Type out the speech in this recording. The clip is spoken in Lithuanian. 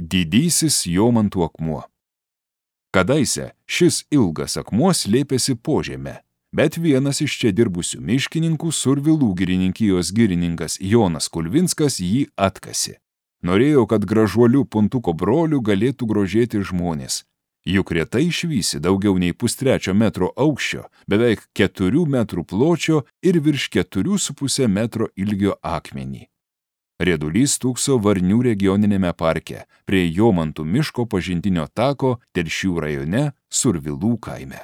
Didysis Jomantų akmuo. Kadaise šis ilgas akmuo slėpėsi po žeme, bet vienas iš čia dirbusių miškininkų Survilų girininkijos girininkas Jonas Kulvinskas jį atkasė. Norėjo, kad gražuolių Puntuko brolių galėtų grožėti žmonės. Juk retai išvysi daugiau nei 1,3 metro aukščio, beveik 4 metrų pločio ir virš 4,5 metro ilgio akmenį. Riedulys stūkso Varnių regioninėme parke prie Jomantų miško pažintinio tako Telšių rajone Survilų kaime.